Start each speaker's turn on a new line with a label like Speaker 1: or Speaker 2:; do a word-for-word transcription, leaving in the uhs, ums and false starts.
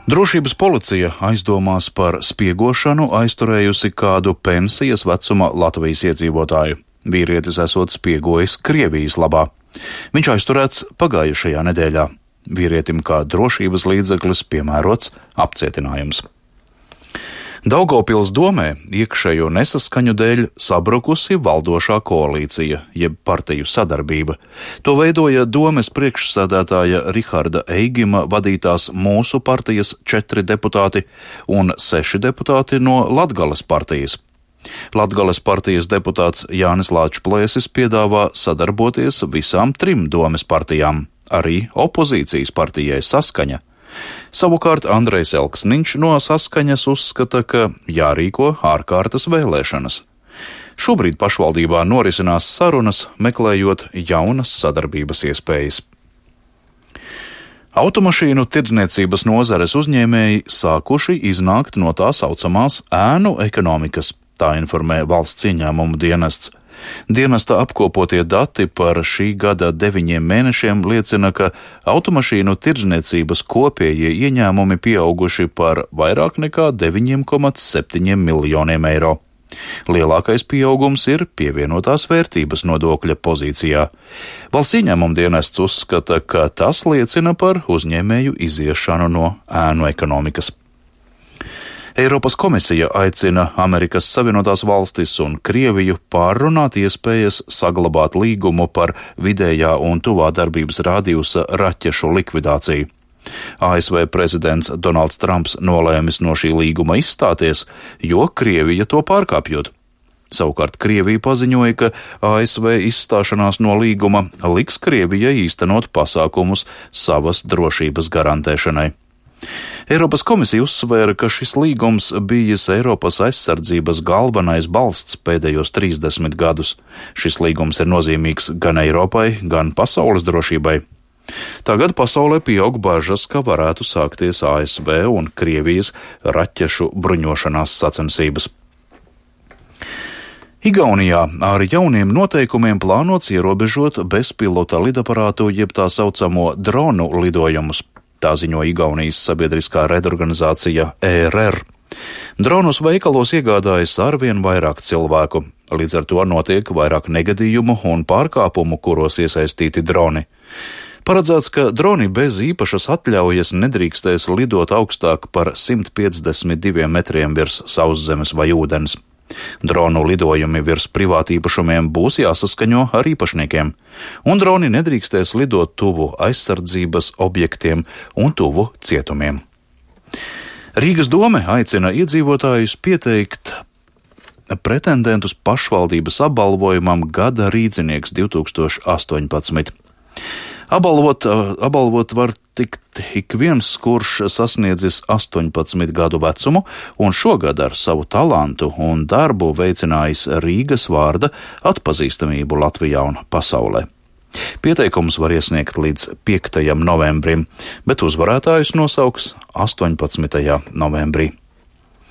Speaker 1: Drošības policija aizdomās par spiegošanu aizturējusi kādu pensijas vecuma Latvijas iedzīvotāju. Vīrietis esot spiegojis Krievijas labā. Viņš aizturēts pagājušajā nedēļā. Vīrietim kā drošības līdzeklis piemērots apcietinājums. Daugavpils domē iekšējo nesaskaņu dēļ sabrukusi valdošā koalīcija, jeb partiju sadarbība. To veidoja domes priekšsēdētāja Riharda Eigima vadītās Mūsu partijas četri deputāti un seši deputāti no Latgales partijas. Latgales partijas deputāts Jānis Lāčplēsis piedāvā sadarboties visām trim domes partijām, arī opozīcijas partijai Saskaņa. Savukārt Andrejs Elksniņš no Saskaņas uzskata, ka jārīko ārkārtas vēlēšanas. Šobrīd pašvaldībā norisinās sarunas, meklējot jaunas sadarbības iespējas. Automašīnu tirdzniecības nozares uzņēmēji sākuši iznākt no tā saucamās ēnu ekonomikas, tā informē valsts ieņēmumu dienests. Dienesta apkopotie dati par šī gada deviņiem mēnešiem liecina, ka automašīnu tirdzniecības kopējie ieņēmumi pieauguši par vairāk nekā deviņi komats septiņi miljoniem eiro. Lielākais pieaugums ir pievienotās vērtības nodokļa pozīcijā. Valsts ieņēmumu dienests uzskata, ka tas liecina par uzņēmēju iziešanu no ēnu ekonomikas. Eiropas komisija aicina Amerikas Savienotās valstis un Krieviju pārrunāt iespējas saglabāt līgumu par vidējā un tuvā darbības rādījusa raķešu likvidāciju. A S V prezidents Donalds Trumps nolēmis no šī līguma izstāties, jo Krievija to pārkāpjot. Savukārt Krievija paziņoja, ka A S V izstāšanās no līguma liks Krievijai īstenot pasākumus savas drošības garantēšanai. Eiropas komisija uzsvēra, ka šis līgums bijis Eiropas aizsardzības galvenais balsts pēdējos trīsdesmit gadus. Šis līgums ir nozīmīgs gan Eiropai, gan pasaules drošībai. Tagad pasaulē pieaug bažas, ka varētu sākties A S V un Krievijas raķešu bruņošanās sacensības. Igaunijā ar jauniem noteikumiem plānots ierobežot bezpilota lidaparātu jeb tā saucamo dronu lidojumus. Tā ziņo Igaunijas sabiedriskā redorganizācija E R R. Dronus veikalos iegādājas arvien vairāk cilvēku. Līdz ar to notiek vairāk negadījumu un pārkāpumu, kuros iesaistīti droni. Paredzēts, ka droni bez īpašas atļaujas nedrīkstēs lidot augstāk par simt piecdesmit diviem metriem virs sauszemes vai ūdens. Dronu lidojumi virs privātīpašumiem būs jāsaskaņo ar īpašniekiem, un droni nedrīkstēs lidot tuvu aizsardzības objektiem un tuvu cietumiem. Rīgas dome aicina iedzīvotājus pieteikt pretendentus pašvaldības apbalvojumam Gada rīdzinieks divtūkstoši astoņpadsmit. Apbalvot, apbalvot var tikt ik viens, kurš sasniedzis astoņpadsmit gadu vecumu un šogad ar savu talantu un darbu veicinājis Rīgas vārda atpazīstamību Latvijā un pasaulē. Pieteikums var iesniegt līdz piektajam novembrim, bet uzvarētājus nosauks astoņpadsmitajā novembrī.